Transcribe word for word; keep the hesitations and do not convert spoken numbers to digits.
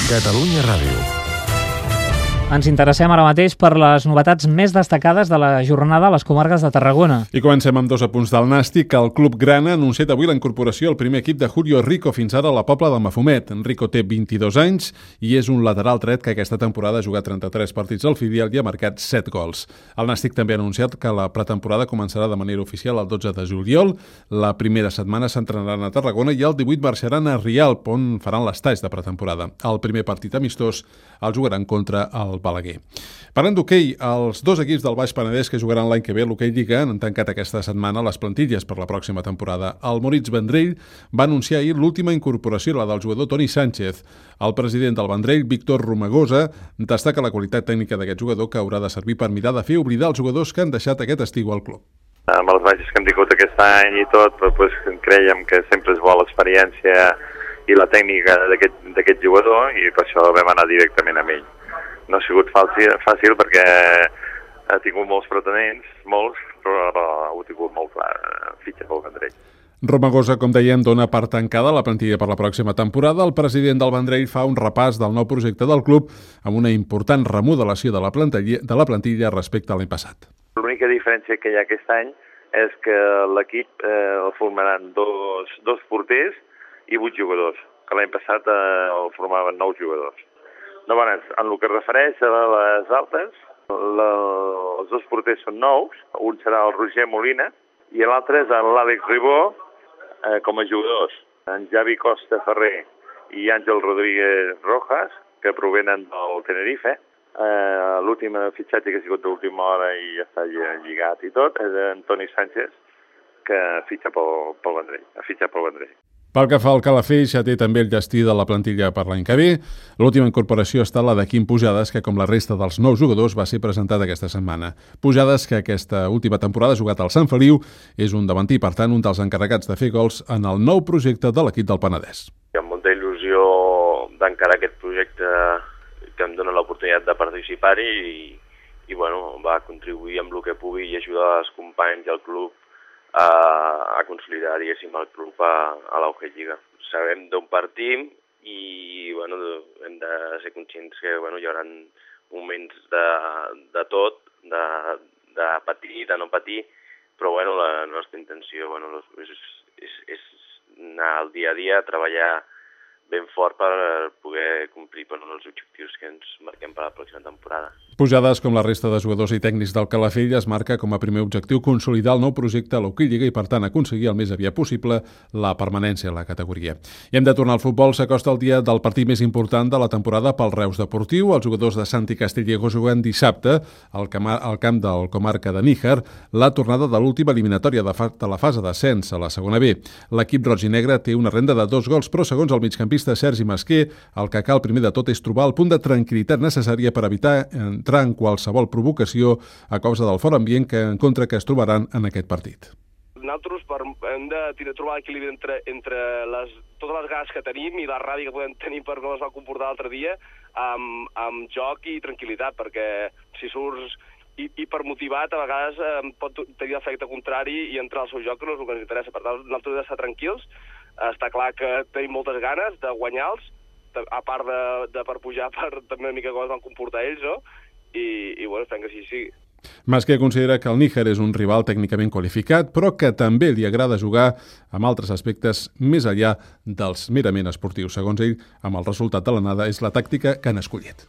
Catalunya Ràdio. Ens interessem ara mateix per les novetats més destacades de la jornada a les comarques de Tarragona. I comencem amb dos apunts del Nàstic. El Club Grana ha anunciat avui la incorporació al primer equip de Julio Rico, fins ara a la Pobla del Mafumet. Rico té vint-i-dos anys i és un lateral dret que aquesta temporada ha jugat trenta-tres partits al filial i ha marcat set gols. El Nàstic també ha anunciat que la pretemporada començarà de manera oficial el dotze de juliol. La primera setmana s'entrenaran a Tarragona i el divuit marxaran a Rialp, on faran l'estatge de pretemporada. El primer partit amistós el jugaran contra el Balaguer. Parlant d'hoquei, els dos equips del Baix Penedès que jugaran l'any que ve a l'Hoquei Lliga han tancat aquesta setmana les plantilles per la pròxima temporada. El Moritz Vendrell va anunciar ahir l'última incorporació, la del jugador Toni Sánchez. El president del Vendrell, Víctor Romagosa, destaca la qualitat tècnica d'aquest jugador, que haurà de servir per mirar de fer oblidar els jugadors que han deixat aquest estiu al club. Amb els baixos que hem tingut aquest any i tot, doncs, creiem que sempre és bona l'experiència i la tècnica d'aquest jugador, i per això vam anar directament amb ell. No ha sigut fàcil, fàcil perquè ha tingut molts pretenents, molts, però ho ha tingut molt clar, fitxa pel Vendrell. Romagosa, com dèiem, dona per tancada la plantilla per la pròxima temporada. El president del Vendrell fa un repàs del nou projecte del club amb una important remodelació de la plantilla, de la plantilla respecte a l'any passat. L'única diferència que hi ha aquest any és que l'equip eh, el formaran dos, dos porters i vuit jugadors, que l'any passat eh, el formaven nou jugadors. No, bueno, en el que es refereix a les altes, la, els dos porters són nous, un serà el Roger Molina i l'altre és l'Àlex Ribó eh, com a jugadors. En Javi Costa Ferrer i Àngel Rodríguez Rojas, que provenen del Tenerife. Eh, L'últim fitxatge que ha sigut d'última hora i ja està lligat i tot, és en Toni Sánchez, que fitxa pel, pel Vendrell, ha fitxat pel Vendrell. Pel que fa al Calafell, ja té també el destí de la plantilla per l'any que ve. L'última incorporació ha estat la de Quim Pujades, que com la resta dels nous jugadors va ser presentat aquesta setmana. Pujades, que aquesta última temporada ha jugat al Sant Feliu, és un davanter i, per tant, un dels encarregats de fer gols en el nou projecte de l'equip del Penedès. Hi ha molta il·lusió d'encarar aquest projecte que em dona l'oportunitat de participar-hi i, i bueno, va contribuir amb el que pugui i ajudar els companys i el club a, a consolidar, diguéssim, el club a, a l'Hoquei Lliga. Sabem d'on partim i bueno, hem de ser conscients que bueno, hi haurà moments de, de tot, de, de patir, de no patir, però bueno, la nostra intenció bueno, és, és, és anar al dia a dia, treballar ben fort per poder complir per els objectius que ens marquem per la pròxima temporada. Pujades, com la resta de jugadors i tècnics del Calafell, es marca com a primer objectiu consolidar el nou projecte a l'Hoquei Lliga i, per tant, aconseguir el més aviat possible la permanència a la categoria. I hem de tornar al futbol. S'acosta el dia del partit més important de la temporada pel Reus Deportiu. Els jugadors de Santi Castillejo juguen dissabte al camp del comarca de Níjar la tornada de l'última eliminatòria de, fa de la fase d'ascens a la segona B. L'equip roig i negre té una renda de dos gols, però segons el migcampista Sergi Masquer, el que cal primer de tot és trobar el punt de tranquil·litat necessària per evitar entrar en qualsevol provocació a causa del fort ambient que en contra que es trobaran en aquest partit. Nosaltres per, hem de trobar l'equilibri entre, entre les, totes les ganes que tenim i la ràbia que podem tenir per com es va comportar l'altre dia amb, amb joc i tranquil·litat, perquè si surts hipermotivat a vegades eh, pot tenir l'efecte contrari i entrar al seu joc, que no és el que ens interessa. Per tant, nosaltres hem d'estar tranquils. Està clar que tenim moltes ganes de guanyar-los, a part de, de per pujar per també una mica com es van comportar ells, no? I, i bueno, esperem que així sigui. Masquer considera que el Níjar és un rival tècnicament qualificat, però que també li agrada jugar amb altres aspectes més enllà dels merament esportius. Segons ell, amb el resultat de l'anada és la tàctica que han escollit.